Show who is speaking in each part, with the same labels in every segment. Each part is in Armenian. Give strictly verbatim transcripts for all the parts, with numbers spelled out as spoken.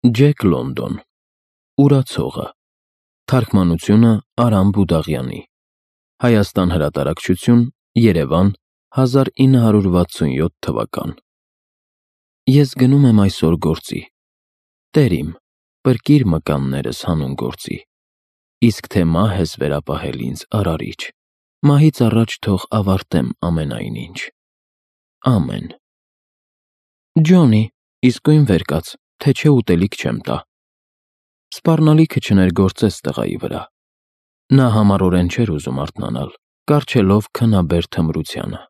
Speaker 1: Ջեք Լոնդոն, Ուրացողը, թարգմանությունը Արամ Բուդաղյանի, Հայաստան հրատարակչություն, Երևան, հազար ինը հարյուր վաթսունյոթ թվական։ Ես գնում եմ այսօր գործի, Տեր իմ, պրկիր մկաններս հանուն գործի, իսկ թե մահ ես վերապահել ինձ արարիչ, մահից առաջ թող ավարտեմ ամենայն ինչ։ Ամեն։ Ջոնի, իսկույն վեր կաց, թե չէ ուտելիք չեմ տա։ Սպառնալիքը չներգործեց տղայի վրա։ Նա համառորեն չէր ուզում արթնանալ, կառչելով քնաբեր թմրությանը,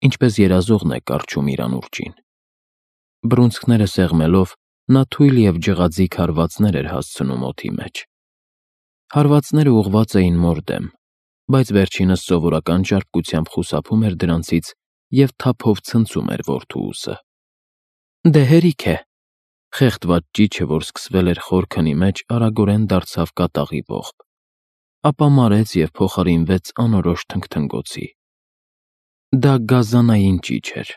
Speaker 1: ինչպես երազողն է կառչում իր անուրջին։ Բռունցքները սեղմելով, նա թույլ և ջղաձիգ հարվածներ էր հասցնում օդի մեջ։ Հարվածները ուղղված էին մոր դեմ, բայց վերջինս սովորական ճարպկությամբ խուսափում էր դրանցից և թափով ցնցում էր որդու ուսը։ Դե հերիք է։ Խեղդված ճիչը, որ սկսվել էր խոր քնի մեջ, արագորեն դարձավ կատաղի ողբ, ապա մարեց և փոխարինվեց անորոշ թնգթնգոցի։ Դա գազանային ճիչ էր,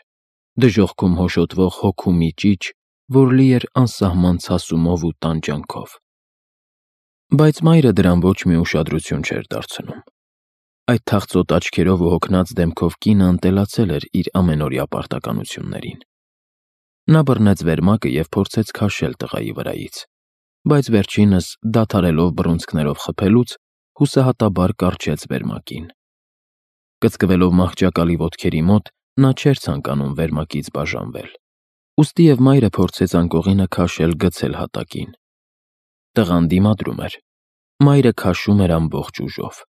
Speaker 1: դժոխքում հոշոտվող հոգու մի ճիչ, որ լի էր անսահման ցասումով ու տանջանքով։ Բայց մայրը դրան ոչ մի ուշադրություն չէր դարձնում։ Այդ թախծոտ աչքերով ու հոգնած դեմքով կինը ընտելացել էր իր ամենօրյա պարտականություններին։ Նա բռնեց վերմակը և փորձեց քաշել տղայի վրայից, բայց վերջինս, դադարելով բռունցքներով խփելուց, հուսահատաբար կառչեց վերմակին։ Կծկվելով մահճակալի ոտքերի մոտ, նա չէր ցանկանում վերմակից բաժանվել, ուստի և մայրը փորձեց անկողինը քաշել գցել հատակին։ Տղան դիմադրում էր, մայրը քաշում էր ամբողջ ուժով։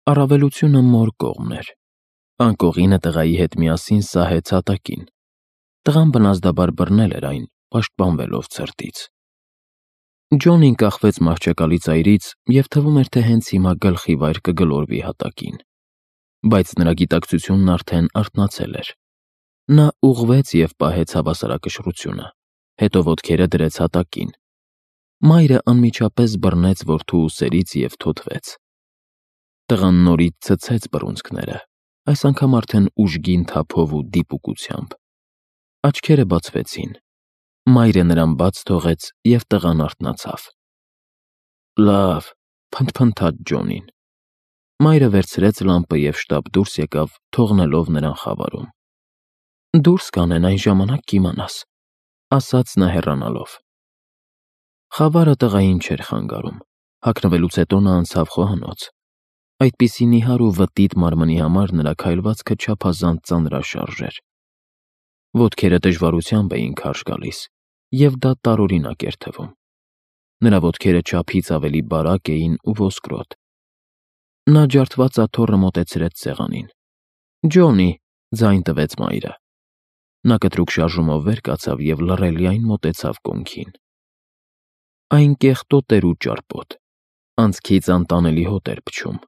Speaker 1: Առավելությունը մոր կողմն էր։ Անկողինը տղայի հետ միասին սահեց հատակին։ Տղան բնազդաբար բռնել էր այն, պաշտպանվելով ցրտից։ Ջոնին կախվեց մահճակալի ծայրից և թվում էր, թե հենց հիմա գլխի վայր կգլորվի հատակին։ Բայց նրա գիտակցությունն արդեն արթնացել էր։ Նա ուղղվեց և պահեց հավասարակշռությունը, հետո ոտքերը դրեց հատակին։ Մայրը անմիջապես բռնեց որդու ուսերից և թոթվեց։ Տղան նորից ցցեց բռունցքները, այս անգամ արդեն ուժգին թափով ու դիպուկությամբ։ Աչքերը բացվեցին։ Մայրը նրան բաց թողեց, և տղան արթնացավ։ Լավ, փնթփնթաց Ջոնին։ Մայրը վերցրեց լամպը և շտապ դուրս եկավ, թողնելով նրան խավարում։ Դուրս կանեն, այն ժամանակ կիմանաս, ասաց նա հեռանալով։ Խավարը տղային չէր խանգարում։ Հագնվելուց հետո նա անցավ խոհանոց։ Այդպիսի նիհար ու վտիտ մարմնի համար նրա քայլվածքը չափազանց ծանրաշարժ էր։ Ոտքերը դժվարությամբ էին քարշ գալիս, և դա տարօրինակ էր թվում։ Նրա ոտքերը չափից ավելի բարակ էին ու ոսկրոտ։ Նա ջարդված աթոռը մոտեցրեց սեղանին։ Ջոնի, ձայն տվեց մայրը։ Նա կտրուկ շարժումով վեր կացավ և լռելիայն մոտեցավ կոնքին։ Այն կեղտոտ էր ու ճարպոտ, անցքից անտանելի հոտ էր փչում։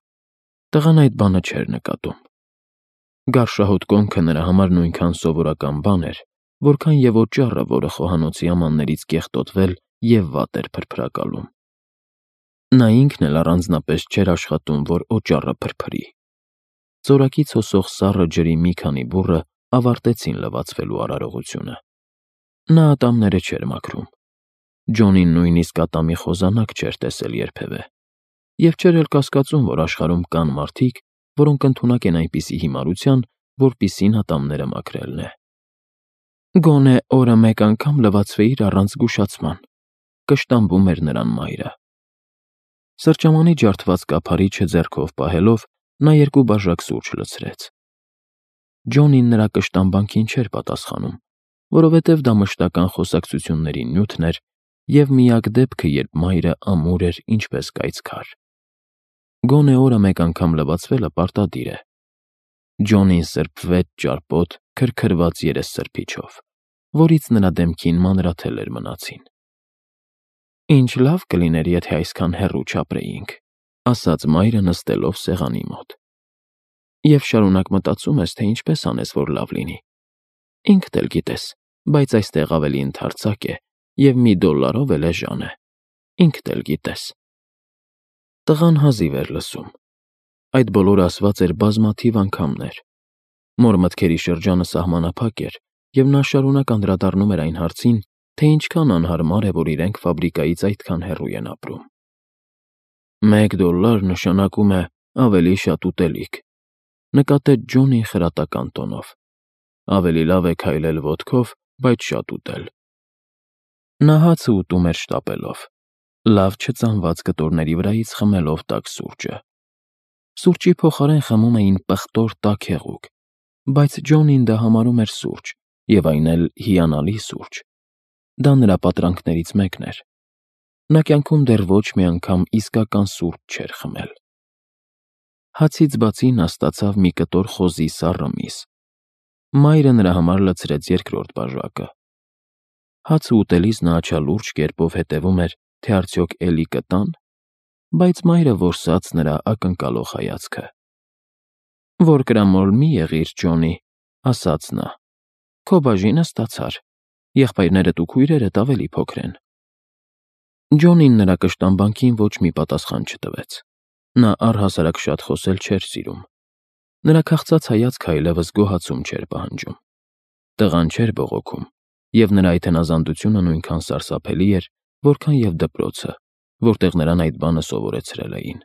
Speaker 1: Տղան այդ բանը չէր նկատում։ Գարշահոտ կոնքը նրա համար նույնքան սովորական բան էր, որքան և օճառը, որը խոհանոցի ամաններից կեղտոտվել և վատ էր փրփրակալում։ Նա ինքն էլ առանձնապես չէր աշխատում, որ օճառը փրփրի։ Ծորակից հոսող սառը ջրի մի քանի բուռը ավարտեցին լվացվելու արարողությունը։ Նա ատամները չէր մաքրում։ Ջոնին նույնիսկ ատամի խոզանակ չէր տեսել երբևէ, և չէր էլ կասկածում, որ աշխարհում կան մարդիկ, որոնք ընդունակ են այնպիսի հիմարության, որպիսին ատամները մաքրելն է։ Գոնե օրը մեկ անգամ լվացվեիր առանց զգուշացման, կշտամբում էր նրան մայրը։ Սրճամանի ջարդված կափարիչը ձեռքով պահելով, նա երկու բաժակ սուրճ լցրեց։ Ջոնին նրա կշտամբանքին չէր պատասխանում, որովհետև դա մշտական խոսակցությունների նյութն էր և միակ դեպքը, երբ մայրը ամուր էր ինչպես կայծքար։ Գոնե օրը մեկ անգամ լվացվելը պարտադիր է։ Ջոնին սրբվեց ճարպոտ, քրքրված երեսսրբիչով, որից նրա դեմքին մանրաթելեր մնացին։ Ինչ լավ կլիներ, եթե այսքան հեռու չապրեինք, ասաց մայրը նստելով սեղանի մոտ։ Եվ շարունակ մտածում ես, թե ինչպես անես, որ լավ լինի։ Ինքդ էլ գիտես, բայց այստեղ ավելի ընդարձակ է, և մի դոլարով էլ էժան է։ Ինքդ էլ գիտես։ Տղան հազիվ էր լսում։ Այդ բոլորը ասված էր բազմաթիվ անգամներ։ Մոր մտքերի շրջանը սահմանափակ էր, և նա շարունակ անդրադառնում էր այն հարցին, թե ինչքան անհարմար է, որ իրենք ֆաբրիկայից այդքան հեռու են ապրում։ Մեկ դոլար նշանակում է ավելի շատ ուտելիք, նկատեց Ջոնին խրատական տոնով։ Ավելի լավ է քայլել ոտքով, բայց շատ ուտել։ Նա հացը ուտում էր շտապելով, լավ չծանված կտորների վրայից խմելով տաք սուրճը։ Սուրճի փոխարեն խմում էին պղտոր տաք հեղուկ, բայց Ջոնին դա համարում էր սուրճ, և այն էլ հիանալի սուրճ։ Դա նրա պատրանքներից մեկն էր։ Նա կյանքում դեռ ոչ մի անգամ իսկական սուրճ չէր խմել։ Հացից բացի նա ստացավ մի կտոր խոզի սառը միս։ Մայրը նրա համար լցրեց երկրորդ բաժակը։ Հացը ուտելիս նա աչալուրջ կերպով հետևում էր, թե արդյոք էլի կտան, բայց մայրը որսաց նրա ակնկալող հայացքը։ Որ կրամոլ մի եղիր, Ջոնի, ասաց նա։ Քո բաժինը ստացար, եղբայրներդ ու քույրերդ ավելի փոքր են։ Ջոնին նրա կշտամբանքին ոչ մի պատասխան չտվեց։ Նա առհասարակ շատ խոսել չէր սիրում։ Նրա քաղցած հայացքը այլևս գոհացում չէր պահանջում։ Տղան չէր բողոքում, և նրա այդ հնազանդությունը նույնքան սարսափելի էր, որքան և դպրոցը, որտեղ նրան այդ բանը սովորեցրել էին։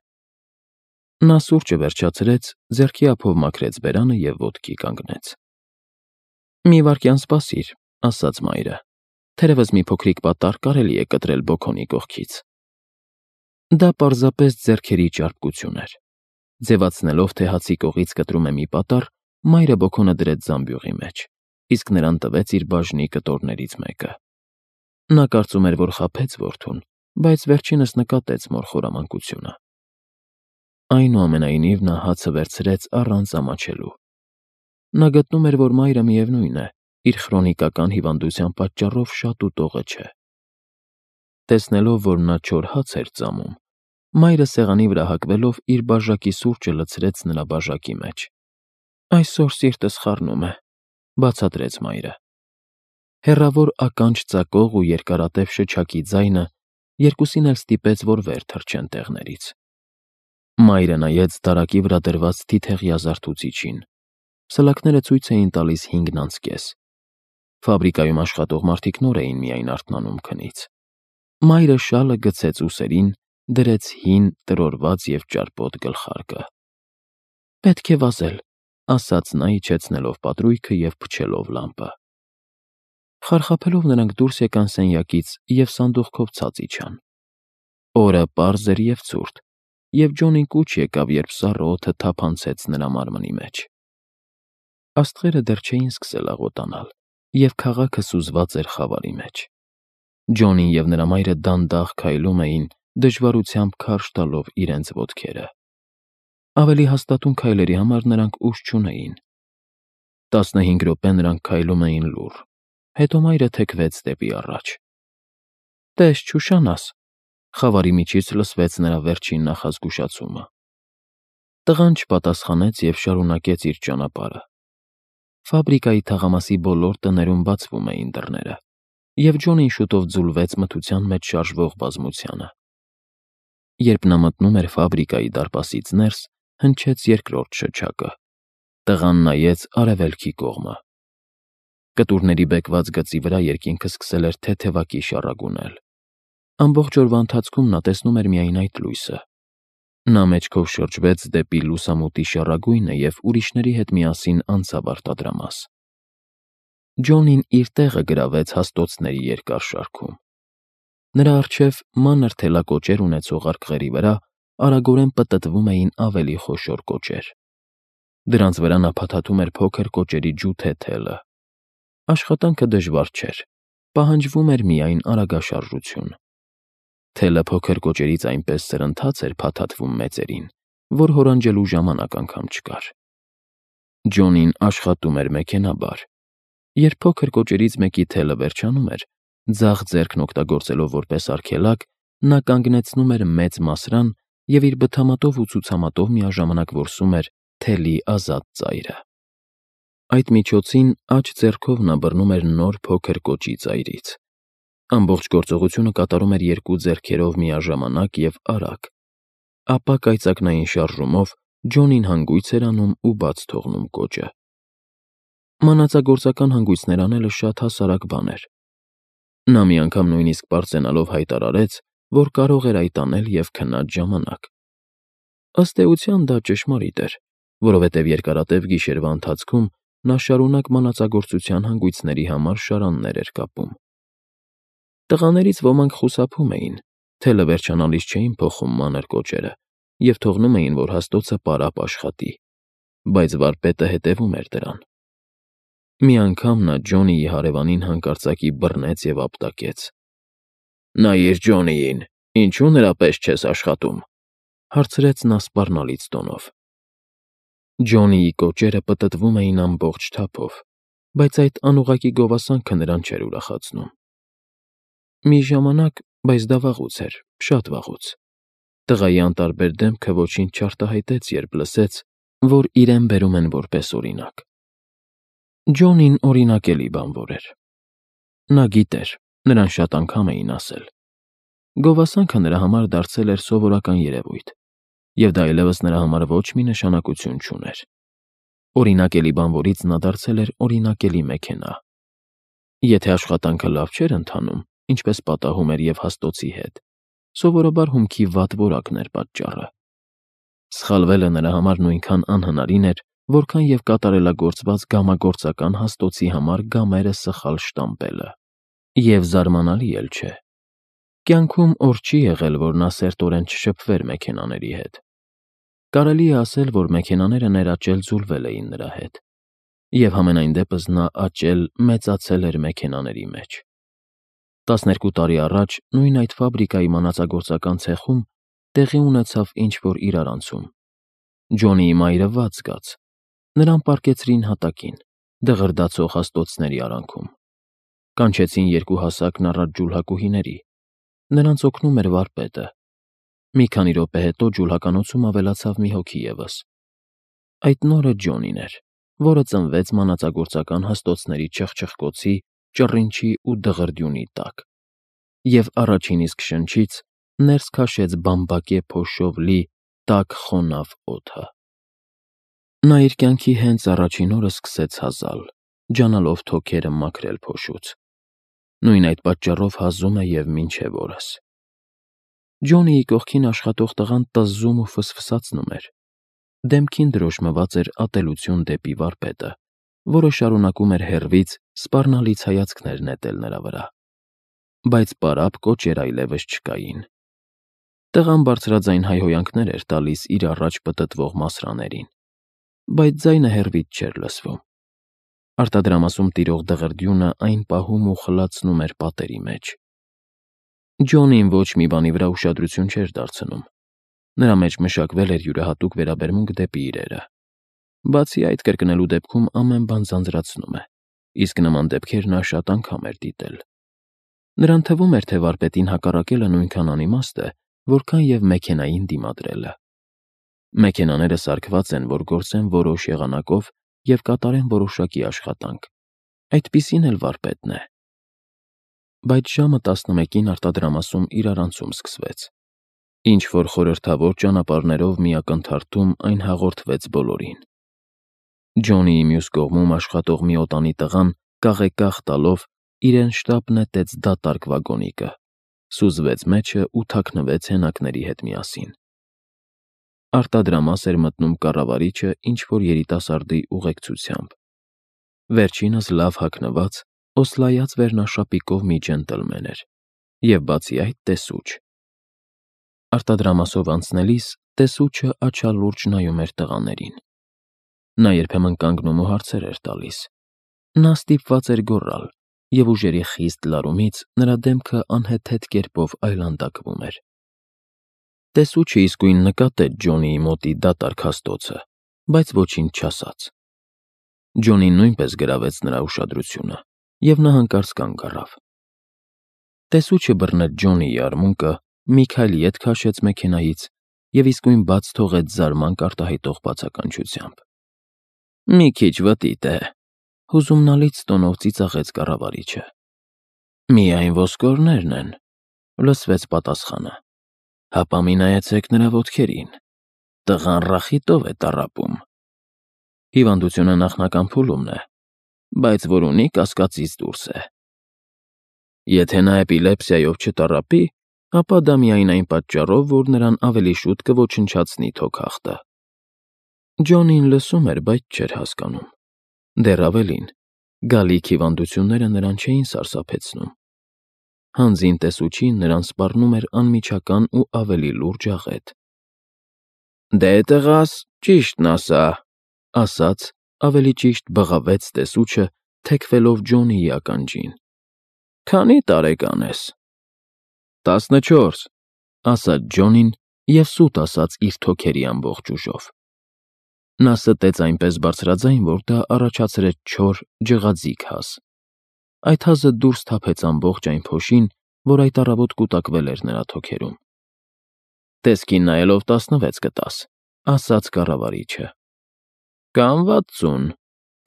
Speaker 1: Նա սուրճը վերջացրեց, ձեռքի ափով մաքրեց բերանը և ոտքի կանգնեց։ Մի վայրկյան սպասիր, ասաց մայրը, թերևս մի փոքրիկ պատառ կարելի է կտրել բոքոնի կողքից։ Դա պարզապես ձեռքերի ճարպկություն էր։ Ձևացնելով, թե հացի կողից կտրում է մի պատառ, մայրը բոքոնը դրեց զամբյուղի մեջ, իսկ նրան տվեց իր բաժնի կտորներից մեկը։ Նա կարծում էր, որ խաբեց որդուն, բայց վերջինս նկատեց մոր խորամանկությունը։ Այնուամենայնիվ նա հացը վերցրեց առանց ամաչելու։ Նա գտնում էր, որ մայրը միևնույն է, իր քրոնիկական հիվանդության պատճառով շատ ուտողը չէ։ Տեսնելով, որ նա չոր հաց էր ծամում, մայրը սեղանի վրա հագվելով իր բաժակի սուրճը լցրեց նրա բաժակի մեջ։ Այսօր սիրտս խառնում է, բացատրեց մայրը։ Հեռավոր ականջ ծակող ու երկարատև շչակի ձայնը երկուսին էլ ստիպեց, որ վեր թռչեն տեղներից։ Մայրը նայեց դարակի վրա դրված թիթեղյա զարթուցիչին։ Սլաքները ցույց էին տալիս հինգն անց կես։ Ֆաբրիկայում աշխատող մարդիկ նոր էին միայն արթնանում քնից։ Մայրը շալը գցեց ուսերին, դրեց հին, տրորված և ճարպոտ գլխարկը։ Պետք է վազել, ասաց նա, իջեցնելով պատրույգը և փչելով լամպը։ Խարխափելով նրանք դուրս եկան սենյակից և սանդուղքով ցած իջան։ Օրը պարզ էր և ցուրտ, և Ջոնին կուչ եկավ, երբ սառը օդը թափանցեց նրա մարմնի մեջ։ Աստղերը դեռ չէին սկսել աղոտանալ, և քաղաքը սուզված էր խավարի մեջ։ Ջոնին և նրա մայրը դանդաղ քայլում էին, դժվարությամբ քարշ տալով իրենց ոտքերը։ Ավելի հաստատուն քայլերի համար նրանք ուժ չունեին։ Տասնհինգ րոպե նրանք քայլում էին լուռ, հետո մայրը թեքվեց դեպի առաջ։ Տես չուշանաս, խավարի միջից լսվեց նրա վերջին նախազգուշացումը։ Տղան չպատասխանեց և շարունակեց իր ճանապարհը։ Ֆաբրիկայի թաղամասի բոլոր տներում բացվում էին դռները, և Ջոնին շուտով ձուլվեց մթության մեջ շարժվող բազմությանը։ Երբ նա մտնում էր ֆաբրիկայի դարպասից ներս, հնչեց երկրորդ շչակը։ Տղան նայեց արևելքի կողմը։ Կտուրների բեկված գծի վրա երկինքը սկսել էր թեթևակի շառագունել։ Ամբողջ օրվա ընթացքում նա տեսնում էր միայն այդ լույսը։ Նա մեջքով շրջվեց դեպի լուսամուտի շառագույնը և ուրիշների հետ միասին անցավ արտադրամաս։ Ջոնին իր տեղը գրավեց հաստոցների երկար շարքում։ Նրա առջև մանր թելակոճեր ունեցող արկղերի վրա արագորեն պտտվում էին ավելի խոշոր կոճեր։ Դրանց վրա նա փաթաթում էր փոքր կոճերի ջութե թելը։ Աշխատանքը դժվար չէր, պահանջվում էր միայն արագաշարժություն։ Թելը փոքր կոճերից այնպես սրընթաց էր փաթաթվում մեծերին, որ հորանջելու ժամանակ անգամ չկար։ Ջոնին աշխատում էր մեքենաբար։ Երբ փոքր կոճերից մեկի թելը վերջանում էր, ձախ ձեռքն օգտագործելով որպես արգելակ, նա կանգնեցնում էր մեծ մասրան և իր բթամատով ու ցուցամատով միաժամանակ որսում էր թելի ազատ ծայրը։ Այդ միջոցին աջ ձեռքով նա բռնում էր նոր փոքր կոճի ծայրից։ Ամբողջ գործողությունը կատարում էր երկու ձեռքերով միաժամանակ և արագ։ Ապա կայծակնային շարժումով Ջոնին հանգույց էր անում ու բաց թողնում կոճը։ Մանածագործական հանգույցներ անելը շատ հասարակ բան էր։ Նա մի անգամ նույնիսկ պարծենալով հայտարարեց, որ կարող էր այդ անել և քնած ժամանակ։ Ըստ էության դա ճշմարիտ էր, որովհետև երկարատև գիշերվա ընթացքում նա շարունակ մանածագործության հանգույցների համար շարաններ էր կապում։ Տղաներից ոմանք խուսափում էին, թե լվերջանալից չէին փոխում մանր կոճերը և թողնում էին, որ հաստոցը պարապ աշխատի, բայց վարպետը հետևում էր դրան։ Մի անգամ նա Ջոնիի հարևանին հանկարծակի բռնեց և ապտակեց։ ֊ Նայիր Ջոնիին, ինչու նրա պես չես աշխատում,֊ հարցրեց նա սպառնալից տոնով։ Ջոնիի կոճերը պտտվում էին ամբողջ թափով, բայց այդ անուղղակի գովասանքը նրան չէր ուրախացնում։ Մի ժամանակ, բայց դա վաղուց էր, շատ վաղուց։ Տղայի անտարբեր դեմքը ոչինչ չարտահայտեց, երբ լսեց, որ իրեն բերում են որպես օրինակ։ Ջոնին օրինակելի բանվոր էր։ Նա գիտեր, նրան շատ անգամ էին ասել։ Գովասանքը նրա համար դարձել էր սովորական երևույթ, և դա այլևս նրա համար ոչ մի նշանակություն չուներ։ Օրինակելի բանվորից նա դարձել էր օրինակելի մեքենա։ Եթե աշխատանքը լավ չէր ընթանում, ինչպես պատահում էր և հաստոցի հետ, սովորաբար հումքի վատ որակն էր պատճառը։ Սխալվելը նրա համար նույնքան անհնարին էր, որքան և կատարելագործված գամագործական հաստոցի համար գամերը սխալ շտամպելը։ Եվ զարմանալի էլ չէ։ Կյանքում օր չի եղել, որ նա սերտորեն չշփվեր մեքենաների հետ։ Կարելի է ասել, որ մեքենաները ներաճել ձուլվել էին նրա հետ, և համենայն դեպս նա աճել, մեծացել էր մեքենաների մեջ։ Տասներկու տարի առաջ նույն այդ ֆաբրիկայի մանածագործական ցեխում տեղի ունեցավ ինչ-որ իրարանցում։ Ջոնիի մայրը վատ զգաց։ Նրան պառկեցրին հատակին, դղրդացող հաստոցների արանքում։ Կանչեցին երկու հասակն առատ ջուլհակուհիների։ Նրանց օգնում էր վարպետը։ Մի քանի րոպե հետո ջուլհականոցում ավելացավ մի հոգի ևս։ Այդ նորը Ջոնին էր, որը ծնվեց մանածագործական հաստոցների չխչխկոցի, ճռինչի ու դղրդյունի տակ, և առաջին իսկ շնչից ներս քաշեց բամբակե փոշով լի տաք խոնավ օդը։ Նա իր կյանքի հենց առաջին օրը սկսեց հազալ, ջանալով թոքերը մաքրել փոշուց։ Նույն այդ պատճառով հազում է և մինչև օրս։ Ջոնիի կողքին աշխատող տղան տզզում ու ֆսֆսացնում էր։ Դեմքին դրոշմված էր ատելություն դեպի վարպետը, որը շարունակում էր հեռվից սպառնալից հայացքներ նետել նրա վրա։ Բայց պարապ կոճեր այլևս չկային։ Տղան բարձրաձայն հայհոյանքներ էր տալիս իր առաջ պտտվող մասրաներին, բայց ձայնը հեռվից չէր լսվում։ Արտադրամասում տիրող դղրդյունը այն պահում ու խլացնում էր պատերի մեջ։ Ջոնին ոչ մի բանի վրա ուշադրություն չէր դարձնում։ Նրա մեջ մշակվել էր յուրահատուկ վերաբերմունք դեպի իրերը։ Բացի այդ, կրկնելու դեպքում ամեն բան ձանձրացնում է, իսկ նման դեպքեր նա շատ անգամ էր դիտել։ Նրան թվում էր, թե վարպետին հակառակելը նույնքան անիմաստ է, որքան և մեքենային դիմադրելը։ Մեքենաները սարքված են, որ գործեն որոշ եղանակով և կատարեն որոշակի աշխատանք։ Այդպիսին էլ վարպետն է։ Բայց ժամը տասնմեկին արտադրամասում իրարանցում սկսվեց։ Ինչ-որ խորհրդավոր ճանապարհներով մի ակնթարթում այն հաղորդվեց բոլորին։ Ջոնիի մյուս կողմում աշխատող մի օտանի տղան կաղեկաղ տալով իրեն շտապ նետեց դատարկ վագոնիկը, սուզվեց մեջը ու թաքնվեց հենակների հետ միասին։ Արտադրամաս էր մտնում կառավարիչը ինչ-որ երիտասարդի ուղեկցությամբ։ Վերջինս լավ հագնված, օսլայած վերնաշապիկով մի ջենտլմեն էր, և բացի այդ տեսուչ։ Արտադրամասով անցնելիս տեսուչը աչալուրջ նայում էր տղաներին։ Նա երբեմն կանգնում ու հարցեր էր տալիս։ Նա ստիպված էր գոռալ, և ուժերի խիստ լարումից նրա դեմքը անհեթեթ կերպով այլանդակվում էր։ Տեսուչը իսկույն նկատեց Ջոնիի մոտի դատարկ հաստոցը, բայց ոչինչ չասաց։ Ջոնին նույնպես գրավեց նրա ուշադրությունը, և նա հանկարծ կանգ առավ։ Տեսուչը բռնեց Ջոնիի արմունկը, մի քայլ ետ քաշեց մեքենայից և իսկույն բաց թողեց զարմանք արտահայտող բացականչությամբ։ ֊ Մի քիչ վտիտ է,֊ հուզումնալից տոնով ծիծաղեց կառավարիչը։ ֊ Միայն ոսկորներն են,֊ լսվեց պատասխանը։ ֊ Հապա մի նայեցեք նրա ոտքերին. տղան ռախիտով է տառապում։ Հիվանդությունը նախնական փուլումն է, բայց որ ունի, կասկածից դուրս է։ Եթե նա էպիլեպսիայով չտառապի, ապա դա միայն այն պատճառով, որ նրան ավելի շուտ կոչնչացնի թոքախտը։ Ջոնին լսում էր, բայց չէր հասկանում։ Դեռ ավելին, գալիք հիվանդությունները նրան չէին սարսափեցնում։ Հանձին տեսուչին նրան սպառնում էր անմիջական ու ավելի լուրջ աղետ։ «Դե տղաս, ճիշտն ասա», ասաց, ավելի ճիշտ բղավեց տեսուչը, թեքվելով Ջոնիի ականջին։ «Քանի՞ տարեկան ես»։ «Տասնչորս», ասաց Ջոնին և սուտ ասաց իր թոքերի ամբողջ ուժով։ Նա ստեց այնպես բարձրաձայն, որ դա առաջացրեց չոր, ջղաձիգ հազ։ Այդ հազը դուրս թափեց ամբողջ այն փոշին, որ այդ առավոտ կուտակվել էր նրա թոքերում։ «Տեսքին նայելով տասնվեց կտաս», ասաց կառավարիչը։ «Կամ վաթսուն»,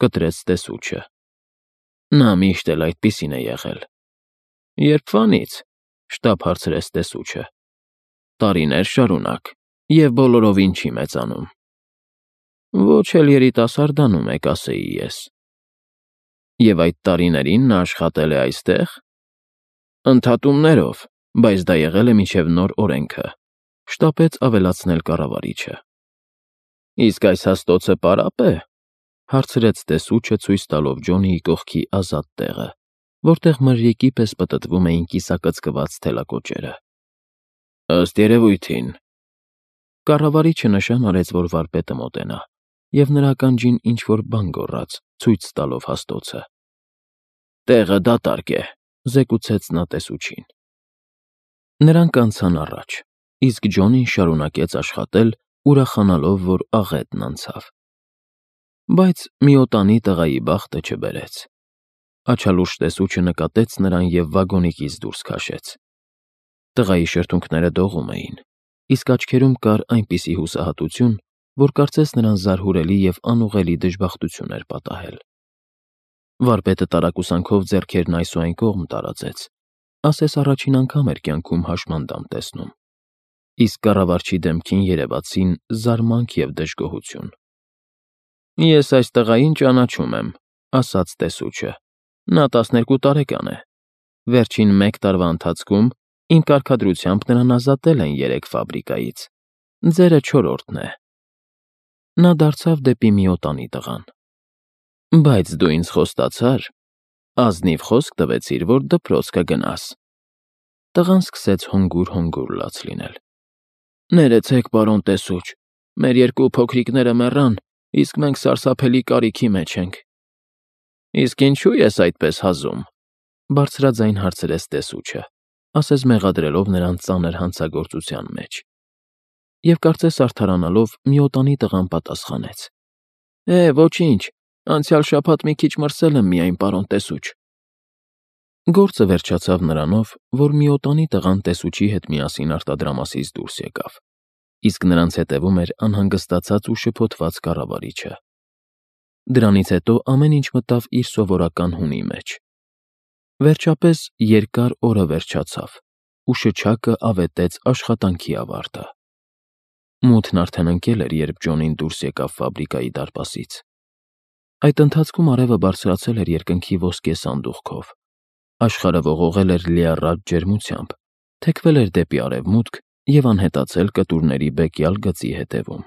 Speaker 1: կտրեց տեսուչը։ Նա միշտ էլ այդպիսին է եղել։ «Երբվանից», շտապ հարցրեց տեսուչը։ «Տարիներ շարունակ, և բոլորովին չի մեծանում»։ «Ոչ էլ երիտասարդանում է, կասեի ես»։ «Եվ այդ տարիներին նա աշխատել է այստե՞ղ»։ «Ընդհատումներով, բայց դա եղել է մինչև նոր օրենքը», շտապեց ավելացնել կառավարիչը։ «Իսկ այս հաստոցը պարապ է»։ Հարցրեց տեսուչը, ցույց տալով Ջոնիի կողքի ազատ տեղը, որտեղ մրրիկի պես պտտվում էին կիսակծկված թելակոճերը։ «Ըստ երևույթին»։ Կառավարիչը նշան արեց, որ վարպետը մոտենա, և նրա ականջին ինչ-որ բան գոռաց, ցույց տալով հաստոցը։ «Տեղը դատարկ է», զեկուցեց նա տեսուչին։ Նրանք անցան առաջ, իսկ Ջոնին շարունակեց աշխատել, ուրախանալով, որ աղետն անցավ։ Բայց միոտանի տղայի բախտը չբերեց։ Աչալուրջ տեսուչը նկատեց նրան և վագոնիկից դուրս քաշեց։ Տղայի շրթունքները դողում էին, իսկ աչքերում կար այնպիսի հուսահատություն, որ կարծես նրան զարհուրելի և անուղղելի դժբախտություն էր պատահել։ Վարպետը տարակուսանքով ձեռքերն այս ու այն կողմ տարածեց, ասես առաջին անգամ էր կյանքում հաշմանդամ տեսնում, իսկ կառավարչի դեմքին երևացին զարմանք և դժգոհություն։ «Ես այս տղային ճանաչում եմ», ասաց տեսուչը։ «Նա տասներկու տարեկան է։ Վերջին մեկ տարվա ընթացքում իմ կարգադրությամբ նրան ազատել են երեք ֆաբրիկայից։ Ձերը չորրորդն է»։ Նա դարձավ դեպի միոտանի տղան։ «Բայց դու ինձ խոստացար, ազնիվ խոսք տվեցիր, որ դպրոց կգնաս»։ Տղան սկսեց հանգուր֊հանգուր լաց լինել։ «Ներեցեք, պարոն տեսուչ, մեր երկու փոքրիկները մեռան, իսկ մենք սարսափելի կարիքի մեջ ենք»։ «Իսկ ինչու ես այդպես հազում»։ Բարձրաձայն հարցրեց տեսուչը, ասես մեղադրելով նրան ծանր հանցագործության մեջ։ Եվ կարծես արդարանալով միոտանի տղան պատասխանեց. «Է, ոչինչ, անցյալ շաբաթ մի քիչ մրսել եմ միայն, պարոն տեսուչ»։ Գործը վերջացավ նրանով, որ միոտանի տղան տեսուչի հետ միասին արտադրամասից դուրս եկավ, իսկ նրանց հետևում էր անհանգստացած ու շփոթված կառավարիչը։ Դրանից հետո ամեն ինչ մտավ իր սովորական հունի մեջ։ Վերջապես երկար օրը վերջացավ, ու շչակը ավետեց աշխատանքի ավարտը։ Մութն արդեն ընկել էր, երբ Ջոնին դուրս եկավ ֆաբրիկայի դարպասից։ Այդ ընթացքում արևը բարձրացել էր երկնքի ոսկե սանդուղքով, աշխարհը ողողել էր լիառատ ջերմությամբ, թեքվել էր դեպի արևմուտք և անհետացել կտուրների բեկյալ գծի հետևում։